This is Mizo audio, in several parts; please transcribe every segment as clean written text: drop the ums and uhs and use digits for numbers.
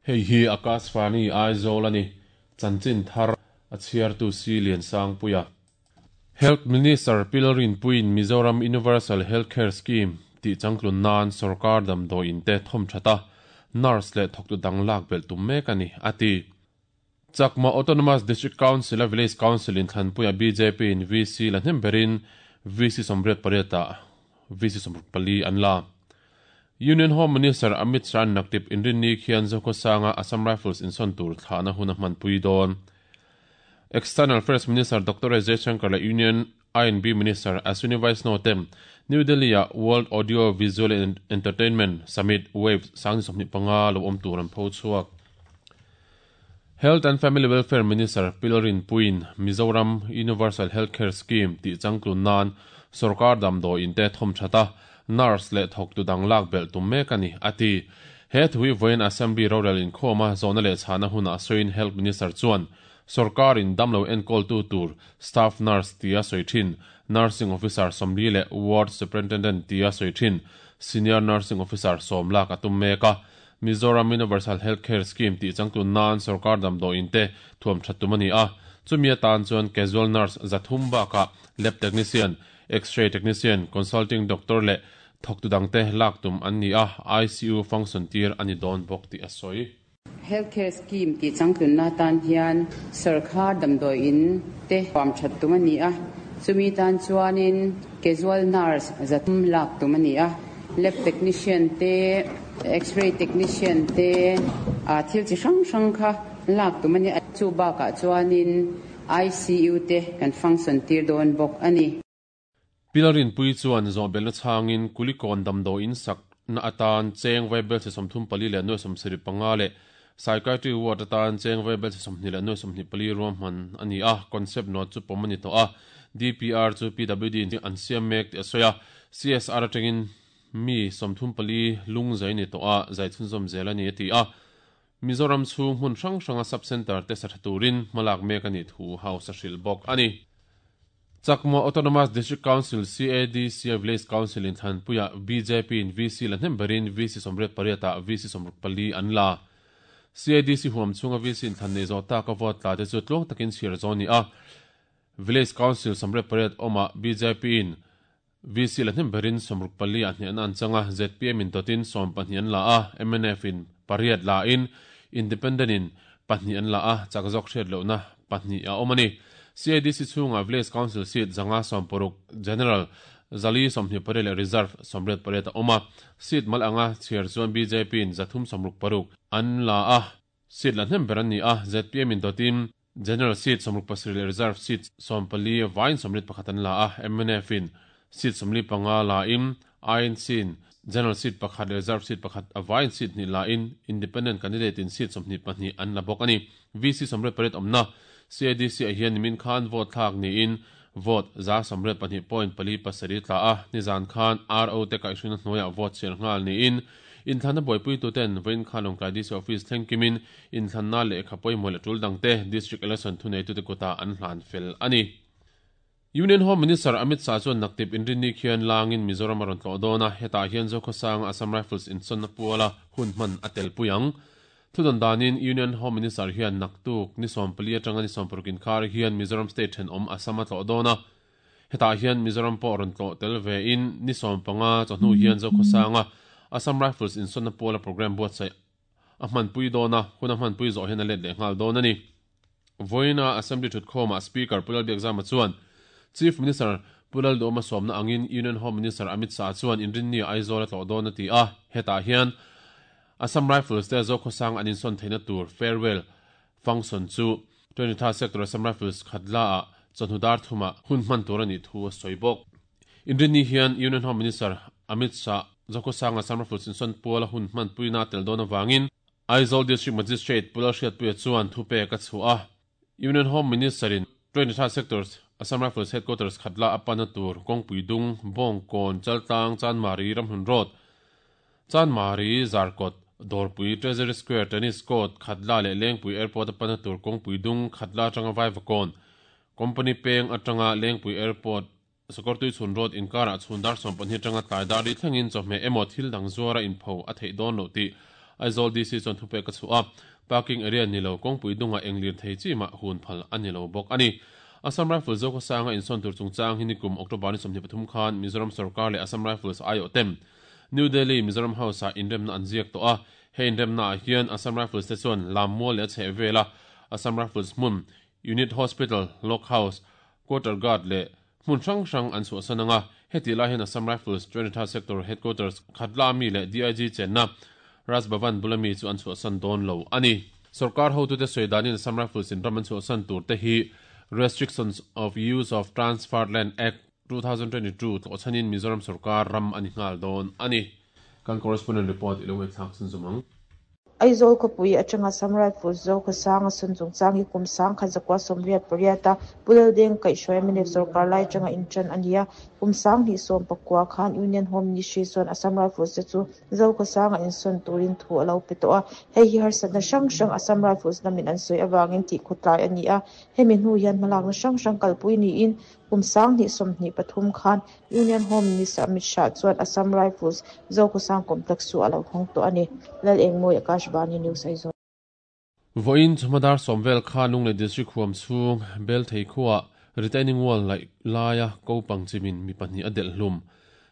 Hei hi Akashvani Aizawl a ni. Chanchin thar a chhiartu Si Liansangpuia. Health Minister Pilrinpuiin Mizoram Universal Health Care Scheme tih changtlun nan sawrkar damdawiin te thawm that a, nurse leh thawktu dang lak belh tum mek a ni, a ti. Chakma Autonomous District Council a Village Council inthlanpuia bjp in VC la hnem berin VC 88 ah VC 64 an la. Union Home Minister Amit Shah naktip inrinni khian Zokhawsanga Assam Rifles insawn tur thlahna hun a hmanpui dawn. External Affairs Minister Doctor S Jaishankar leh Union I&B Minister Ashwini Vaishnaw te New Delhi-ah World Audio Visual and Entertainment Summit, WAVES, 2025 lo awm tur an pho chhuak. Health and Family Welfare Minister Pilrinpuiin Mizoram Universal Health Care Scheme tih changtlun nan sawrkar damdawiin te thawm that a, nurse leh thawktu dang lak belh tum mek a ni, a ti. He thu hi vawiin Assembly rorel inkhawma zawhna leh chhahna hunah sawiin Health Minister chuan Sawrkarin damlo enkawltu tur Staff Nurse tia sawi thin Nursing Officer 40 leh Ward Superintendent tia sawi thin Senior Nursing Officer 10 lak a tum mek a. Mizoram Universal Health Care Scheme tih changtlun nan sawrkar damdawiin te thuam that tum a ni a. Chumi atan chuan Casual Nurse 300 bakah Lab Technician, X-ray Technician, Consulting Doctor leh thawktu dangte lak tum an ni a, ICU function tir a ni dawn bawk tih a sawi. Health Care Scheme tih changtlunna atan hian sawrkhar damdawi in te huam that tum a ni a, chumi tan chuanin casual nurse 300 lak tum a ni a, lab technician te, x-ray technician te, thil chi hrang hrang kha lak tum a ni a, chu bakah chuanin ICU te kan function tir dawn bawk a ni. Pilarinpui chuan zawhbelhna chhangin Kulikawn damdawiin sakna atan cheng vaibelchhe 34 leh nuai 75 leh Psychiatry Ward atan cheng vaibelchhe 20 leh nuai 24 ruahman a ni a, concept note chu pawm a ni tawh a, DPR chu PWD in an siam mek tih a sawi a, CSR atangin mi 34 lung zai ni tawh a, zai chhunzawm zel a ni a ti a. Mizoram chhung hmun hrang hranga Sub Centre te sa tha turin hmalak mek a nih thu House a hrilh bawk a ni. Chakma Autonomous District Council, CADC, a Village Council inthlanpuiah bjp in VC la hnem berin VC 88 ah VC 64 an la. CADC huam chhunga VC inthlan nei zawh taka vote tla te chu tluang takin chhiar zawh a ni a. Village Council 88 awmah bjp in VC la hnem berin 64 ah hnehna an chang a, zpm in dawtin 12 an la a, mnf in pariat la in, Independent in pahnih an la a, chak zawk hriat lohna pahnih a awm a ni. CADC chhungah Village Council seat 160, General 428 leh Reserve 88 a awm a, seat mal anga chhiar chuan bjp in 366 an la a, Seat la hnem ber an ni a, zpm in dawtin General seat 67 leh Reserve seat 14 vaiin 81 an la a, mnf in seat 45 la in, INC in General seat pakhat leh Reserve seat pakhat a vaiin seat hnih la in, Independent candidate in seat 22 an la bawk a ni. VC 88 awmna CADC ah hian nimin khan vote thlak niin vote 182.47 tla a, nizan khan RO te kaihhruina hnuaiah vote chhiar nghal niin Inthlanna buaipuituten vawiin khan Lawngtlai DC Office thleng kimin inthlanna lehkha pawimawh leh tul dangte District Election thuneitute kutah an hlan fel a ni. Union Home Minister Amit Shah chuan naktip inrinni khian langin Mizoram a rawn tlawh dawn a, hetah hian Zokhawsanga Assam Rifles insawnna puala hun hman a telpui ang. Thudawn danin Union Home Minister hian naktuk ni 14 atanga ni 16 inkar hian Mizoram State thenawm Assam a tlawh dawn a, Hetah hian Mizoram pawh rawn tlawh tel ve in ni 15 chawhnu hian Zokhawsanga Assam Rifles insawnna puala programme buatsaih a hmanpui dawn a, hun a hmanpui zawh hian a let leh nghal dawn a ni. Vawiina Assembly thutkhawmah Speaker Pu Lalbiakzama chuan Chief Minister Pu Lalduhawma sawmna angin Union Home Minister Amit Shah chuan Inrinni Aizawl a tlawh dawn a ti a, hetah hian Assam Rifles te Zokhawsang an insawn theihna tur farewell function chu 23 Sector Assam Rifles Khatla-ah chawhnu dar thumah hun hman tur a nih thu a sawi bawk. Inrinni hian Union Home Minister Amit Shah Zokhawsanga Assam Rifles insawn puala hun hmanpuina a tel dawn avangin Aizawl District Magistrate Pu Lalhriatpuia chuan thupek a chhuah a. Union Home Minister-in 23 Sector Assam Rifles Headquarters Khatla a panna tur kawngpui dung, Bawngkawn, Chaltlang, Chanmari, Ramhlun Road, Chanmari, Zarkawt, Dawrpui, Treasury Square, Tennis Court, Khatla leh Lengpui Airport a panna tur kawngpui dung, Khatla atanga Vaivakawn, Company peng atanga Lengpui Airport. Sakawrtuichhun Road inkarah chhun dar 12 atanga tlai dar li thlengin chawhmeh emaw thil dang zuara inpho a theih dawn loh tih Aizawl DC chuan thupek a chhuah a, parking area ni lo kawngpui dungah eng lir thei chi mah hun phal a ni lo bawk a ni. Assam Rifles Zokhawsanga insawn tur chungchang hi nikum October ni 23 khan Mizoram sorkar leh Assam Rifles aiawh tem New Delhi Mizoram House-ah inremna an ziak tawh a, he inremnaah hian Assam Rifles te chuan Lammual leh a chhehvela Assam Rifles hmun Unit Hospital, Lock House, Quarter Guard leh hmun hrang hrang an chhuahsan ang a, hetih lai hian Assam Rifles Twenty-third Sector Headquarters Khatla mi leh DIG chenna Raj Bhavan bula mi chu an chhuahsan dawn lo a ni. Sorkar hotute sawi danin Assam Rifles in ram an chhuahsan tur te hi Restrictions of Use of Transferred Land Act, 2022 tlawhchhanin Mizoram sorkar ram a ni nghal dawn a ni. Kan correspondent report i lo ngaihthlak chhun zawm ang. Aizawl khawpui atanga Assam Rifles Zokhawsanga sun chungchang hi kum 1988 a Pu Laldeng kaihhruai mnf sorkar lai atanga intan a ni a. Kum 2019 khan Union Home Ministry chuan Assam Rifles te chu Zokhawsanga insawn turin thu a lo pe tawh a. Hei hi harsatna hrang hrang Assam Rifles lamin an sawi avangin tihkhawtlai a ni a. Hemi hnu hian hmalakna hrang hrang kalpui niin Kum 2023 khan Union Home Minister Amit Shah chuan Assam Rifles Zokhawsang Complex chu a lo hawng tawh a ni. Lalengmawi Akashvani News Aizawl. Vawiin chawhma dar sawm vel kha Lunglei District huam chhung Belthei khuaah retaining wall laih laia ko pangchimin mi pahnih a delh hlum.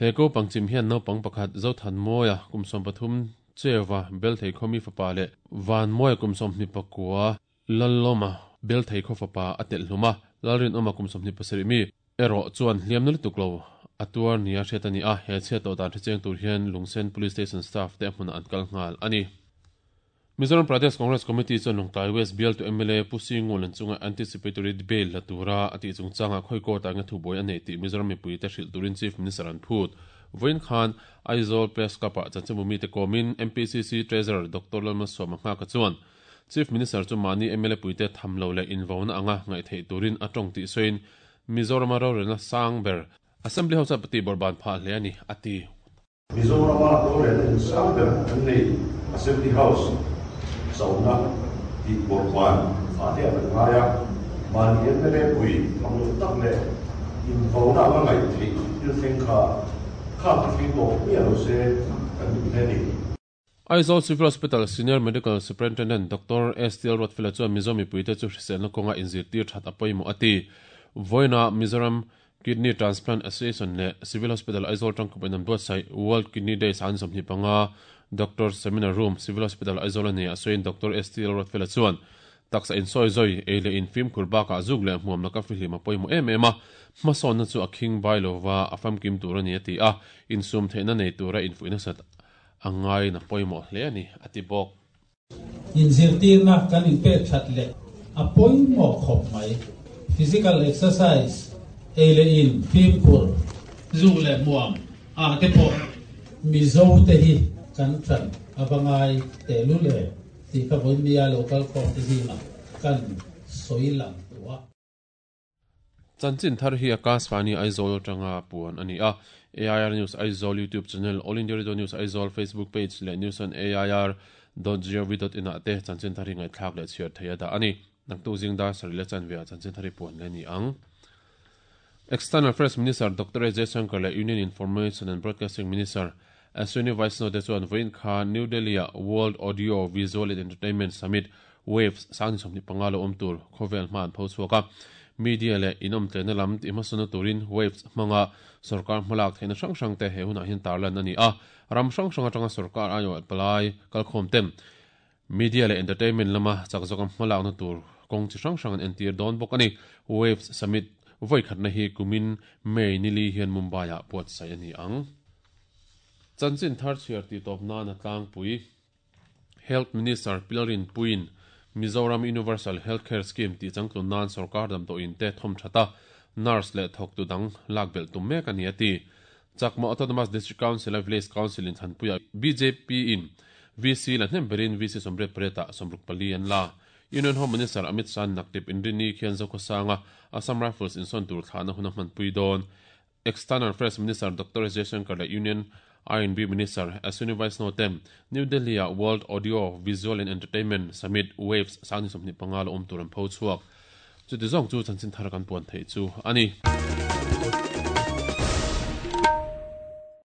He ko pangchim hian naupang pakhat Zothanmawia kum 13 Cheuva Belthei khaw mi fapa leh Vanmawia kum 29 Lallawma Belthei khaw fapa a telh hlum a, Lalrinawma kum 27 mi erawh chuan hliamna lutuk lo a tuar nia hriat a ni a, he chhiat tawh dan hre cheng tur hian Lungsen Police Station staff te a hmunah an kal nghal a ni. Mizoram Pradesh Congress Committee chuan Lungtlai West bialtu mla Pu Singulan chunga anticipatory bail la tura a tih chungchangah khawi court-ah nge thubuai a neih tih Mizoram mipuite hrilh turin Chief Minister an phut. Vawiin khan Aizawl Press Club-ah chanchinbu mite kawmin MPCC Treasurer Doctor Lalmalsawma Nghaka chuan Chief Minister chu mahni mla puite tham lo leh invauna anga ngaih theih turin a tawng tih sawiin Mizorama rorelna sang ber Assembly House-a pati bawrhban phah hle a ni, a ti. Mizorama rorelna in sang ber an nei Assembly House chauhna tih bawrhban phah hle a kan ngai a, mahni mla pui tham lo tak leh invauna anga ngaih theih thil thleng kha khang ti thleng tawh miah lo se kan duh hle a ni. Aizawl Civil Hospital Senior Medical Superintendent Doctor STL Ruatfela chuan Mizo mipuite chu hriselna kawnga inzirtir that a pawimawh a ti. Vawiinah Mizoram Kidney Transplant Association leh Civil Hospital Aizawl tangkawp in an buatsaih World Kidney Day san 25 Doctor Seminar Room, Civil Hospital Aizawl a ni a sawiin Doctor STL Ruatfela chuan taksa insawi zawi ei leh in fimkhur bakah zuk leh hmuam laka fihlim a pawimawh em em a, hmasawnna chu a khing bai lova a famkim tur a ni a ti a, insum theihna nei tura infuih nasat A ngaiin a pawimawh hle a ni, a ti bawk. Inzirtirna kan inpek that leh a pawimawh khawp mai. Physical exercise, ei leh in, fimkhur, zu leh hmuam ah te pawh Mizo te hi kan tan a va ngai tehlul em tih kha vawiin lo kal khawm te zingah kan sawi lang duh a. Chanchin thar hi Akashvani Aizawl atanga puan a ni a. AIR News Aizawl YouTube channel, All India Radio News Aizawl Facebook page leh News on AIR dot gov dot in ah te chanchin thar hi ngaihthlak leh chhiar thei a dah a ni. Naktuk zing dar sarih leh chanve ah chanchin thar hi puan leh a ni ang. External Affairs Minister Doctor A Jaishankar leh Union Information and Broadcasting Minister Ashwini Vaishnaw te chuan vawiin khan New Delhi-ah World Audio Visual and Entertainment Summit, Waves, 2025 lo awm tur khawvel hma an pho chhuak a. Media leh inawmtlenna lam tihhmasawnna turin Waves hmanga sorkar hmalak theihna hrang hrangte he hunah hian tarlan a ni a. Ram hrang hrang atanga sorkar aiawh palai kalkhawmten media leh entertainment lama chak zawka hmalakna tur kawng chi hrang hrang an entir dawn bawk a ni. Waves Summit vawikhatna hi kumin May nili hian Mumbai-ah buatsaih a ni ang. Chanchin thar chhiar tih tawp nan a tlangpui. Health Minister Pilrin Puiin Mizoram Universal Health Care Scheme tih changtlun nan sorkar damdawiin te thawm that a, nurse leh thawktu dang lak belh tum mek a ni a ti. Chakma Autonomous District Council a Village Council in thlanpuiah bjp in VC la hnem berin VC 88 ah 64 an la. Union Home Minister Amit Shah naktip Inrini khian Zokhawsanga Assam Rifles insawn tur thlahna hun a hmanpui dawn. External Affairs Minister Doctor S Jaishankar leh Union R&B Minister Ashwini Vaishnaw te New Delhi-ah World Audio, Visual and Entertainment Summit, Waves, 2025 la awm tur an pho chhuak. Chuti zawng chu chanchin thar kan puan theih chu a ni.